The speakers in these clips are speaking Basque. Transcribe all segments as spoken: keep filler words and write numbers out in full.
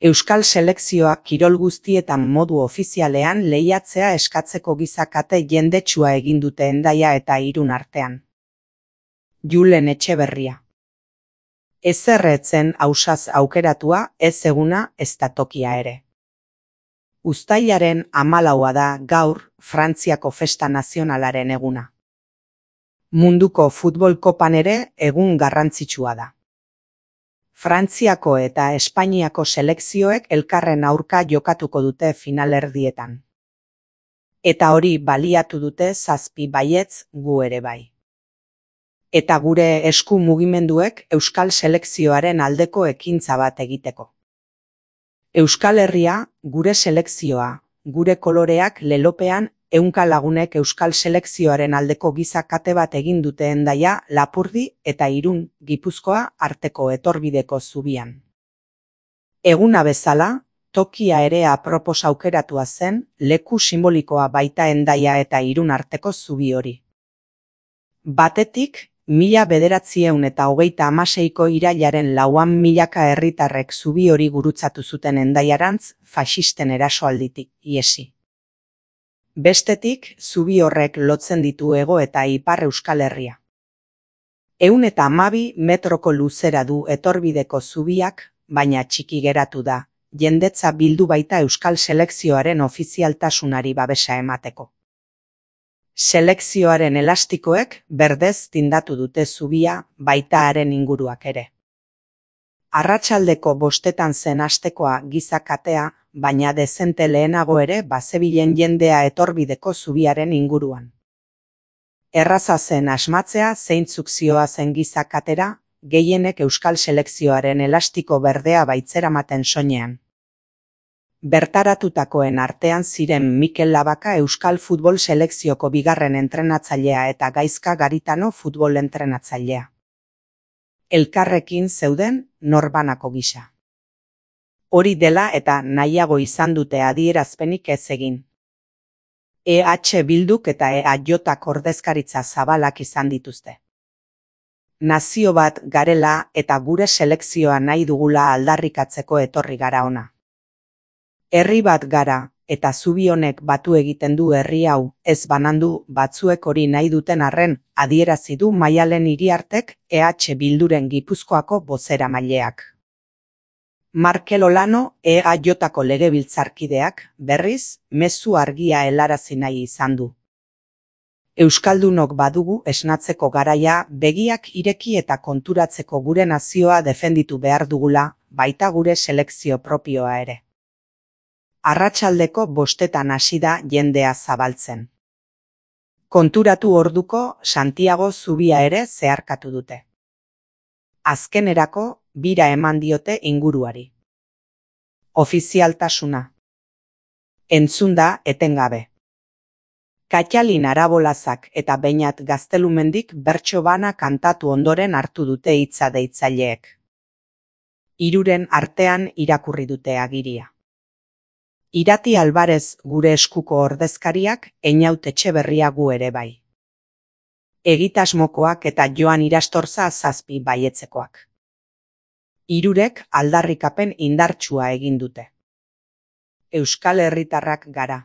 Euskal selekzioak kirol guztietan modu ofizialean lehiatzea eskatzeko gizakate jendetsua egin dute Hendaia eta Irun artean. Julen Etxeberria. Ezer ez zen ausaz aukeratua, ez eguna, ezta tokia ere. Uztailaren hamalaua da gaur Frantziako festa nazionalaren eguna. Munduko futbol kopan ere egun garrantzitsua da. Frantziako eta Espainiako selekzioek elkarren aurka jokatuko dute finalerdietan. Eta hori baliatu dute zazpi baietz gu ere bai. Eta gure esku mugimenduek Euskal selekzioaren aldeko ekintza bat egiteko. Euskal Herria, gure selekzioa, gure koloreak lelopean ehunka lagunek Euskal selekzioaren aldeko gizakate bat egin dute Hendaia, Lapurdi eta Irun, Gipuzkoa arteko etorbideko zubian. Eguna bezala, tokia ere apropos aukeratua zen, leku simbolikoa baita Hendaia eta Irun arteko zubi hori. Batetik, mila bederatziehun eta hogeita hamaseiko irailaren lauan milaka herritarrek zubi hori gurutzatu zuten Hendaiarantz faxisten erasoalditik ihesi. Bestetik, zubi horrek lotzen ditu Hego eta Ipar Euskal Herria. Ehun eta hamabi metroko luzera du etorbideko zubiak, baina txiki geratu da, jendetza bildu baita Euskal selekzioaren ofizialtasunari babesa emateko. Selekzioaren elastikoek berdez tindatu dute zubia, baita haren inguruak ere. Arratsaldeko bostetan zen hastekoa gizakatea, baina dezente lehenago ere bazebilen jendea etorbideko zubiaren inguruan. Erraza zen asmatzea zeintzuk zihoazen gizakatera, gehienek Euskal selekzioaren elastiko berdea baitzeramaten soinean. Bertaratutakoen artean ziren Mikel Labaka Euskal futbol selekzioko bigarren entrenatzailea eta Gaizka Garitano futbol entrenatzailea. Elkarrekin zeuden norbanako gisa. Hori dela eta nahiago izan dute adierazpenik ez egin. E H Bilduk eta E A Jak ordezkaritza zabalak izan dituzte. Nazio bat garela eta gure selekzioa nahi dugula aldarrikatzeko etorri gara ona. Herri bat gara, eta zubi honek batu egiten du herri hau, ez banandu batzuek hori nahi duten arren, adierazi du Maialen Iriartek E H Bilduren Gipuzkoako bozeramaileak. Markel Olano E A Jako legebiltzarkideak, berriz, mezu argia helarazi nahi izan du. Euskaldunok badugu esnatzeko garaia, begiak ireki eta konturatzeko gure nazioa defenditu behar dugula, baita gure selekzio propioa ere. Arratsaldeko bostetan hasi da jendea zabaltzen. Konturatu orduko Santiago zubia ere zeharkatu dute. Azkenerako bira eman diote inguruari. Ofizialtasuna. Entzunda etengabe. Katxalin Arabolazak eta Beñat Gaztelumendik bertso bana kantatu ondoren hartu dute hitza deitzaileek. Hiruren artean irakurri dute agiria. Irati Alvarez gure eskuko ordezkariak, Einaut Etxeberria gu ere bai. Egitasmokoak eta Joan Irastorza zazpi baietzekoak. Hirurek aldarrikapen indartsua egin dute. Euskal herritarrak gara.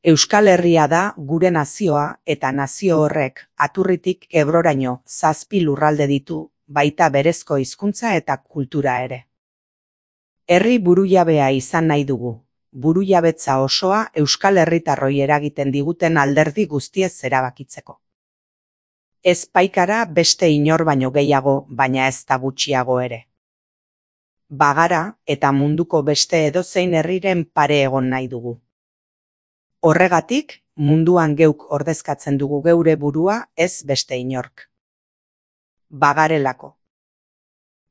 Euskal Herria da gure nazioa eta nazio horrek Aturritik Ebroraino zazpi lurralde ditu, baita berezko hizkuntza eta kultura ere. Herri burujabea izan nahi dugu, burujabetza osoa Euskal herritarroi eragiten diguten alderdi guztiez erabakitzeko. Ez paikara beste inor baino gehiago, baina ez da gutxiago ere. Bagara eta munduko beste edozein herriren pare egon nahi dugu. Horregatik, munduan geuk ordezkatzen dugu geure burua, ez beste inork. Bagarelako.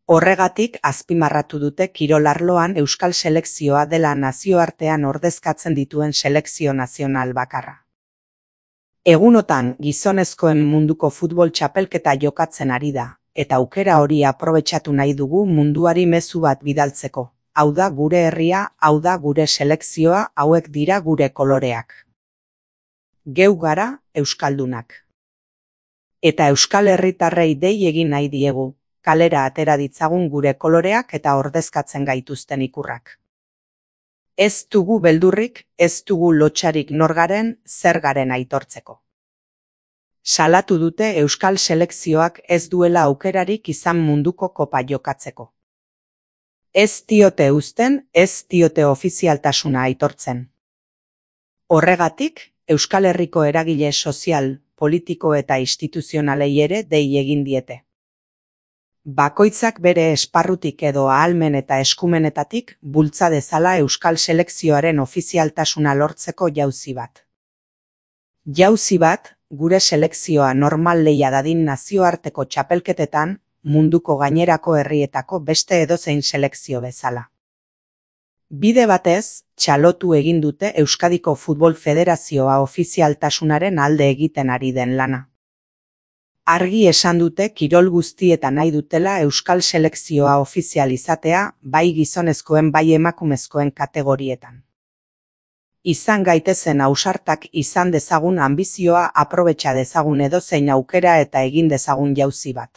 Horregatik azpimarratu dute kirol arloan Euskal selekzioa dela nazioartean ordezkatzen dituen selekzio nazional bakarra. Egunotan gizonezkoen munduko futbol txapelketa jokatzen ari da, eta aukera hori aprobetxatu nahi dugu munduari mezu bat bidaltzeko. Hau da gure herria, hau da gure selekzioa, hauek dira gure koloreak. Geu gara Euskaldunak. Eta Euskal herritarrei dei egin nahi diegu, kalera atera ditzagun gure koloreak eta ordezkatzen gaituzten ikurrak. Ez dugu beldurrik, ez dugu lotsarik nor garen, zer garen aitortzeko. Salatu dute euskal selekzioak ez duela aukerarik izan munduko kopa jokatzeko. Ez diote uzten, ez diote ofizialtasuna aitortzen. Horregatik, Euskal Herriko eragile sozial, politiko eta instituzionalei ere dei egin diete. Bakoitzak bere esparrutik edo ahalmen eta eskumenetatik bultza dezala euskal selekzioaren ofizialtasuna lortzeko jauzi bat. Jauzi bat, gure selekzioa normal lehia dadin nazioarteko txapelketetan, munduko gainerako herrietako beste edozein selekzio bezala. Bide batez, txalotu egin dute Euskadiko Futbol Federazioa ofizialtasunaren alde egiten ari den lana. Argi esan dute kirol guztietan nahi dutela euskal selekzioa ofizial izatea, bai gizonezkoen bai emakumezkoen kategorietan. Izan gaitezen ausartak izan dezagun anbizioa aprobetxa dezagun edozein aukera eta egin dezagun jauzi bat.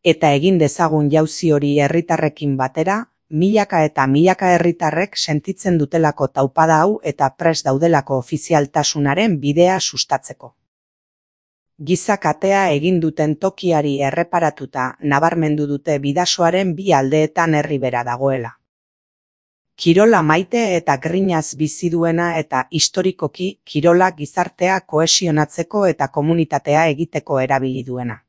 Eta egin dezagun jauzi hori herritarrekin batera, milaka eta milaka herritarrek sentitzen dutelako taupada hau eta prest daudelako ofizialtasunaren bidea sustatzeko. Gizakatea egin duten tokiari erreparatuta nabarmendu dute bidasoaren bi aldeetan herri bera dagoela. Kirola maite eta grinaz bizi duena eta historikoki kirola gizartea kohesionatzeko eta komunitatea egiteko erabili duena.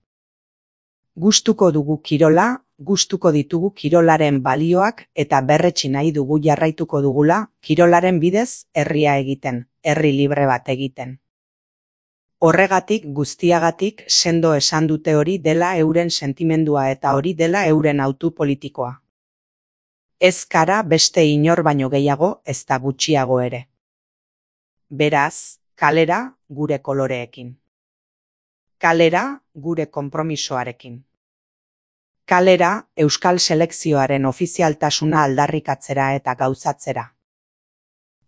Gustuko dugu kirola, gustuko ditugu kirolaren balioak eta berretsi nahi dugu jarraituko dugula kirolaren bidez herria egiten, herri libre bat egiten. Horregatik guztiagatik sendo esan dute hori dela euren sentimendua eta hori dela euren hautu politikoa. Ez gara beste inor baino gehiago ez da gutxiago ere. Beraz, kalera gure koloreekin. Kalera gure konpromisoarekin. Kalera euskal selekzioaren ofizialtasuna aldarrikatzera eta gauzatzera.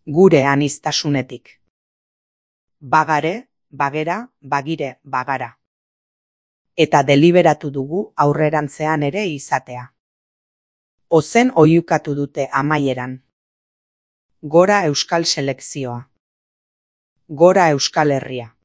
Gure aniztasunetik. Bagare, bagera, bagire, bagara. Eta deliberatu dugu aurrerantzean ere izatea. Ozen oiukatu dute amaieran. Gora euskal selekzioa. Gora Euskal Herria.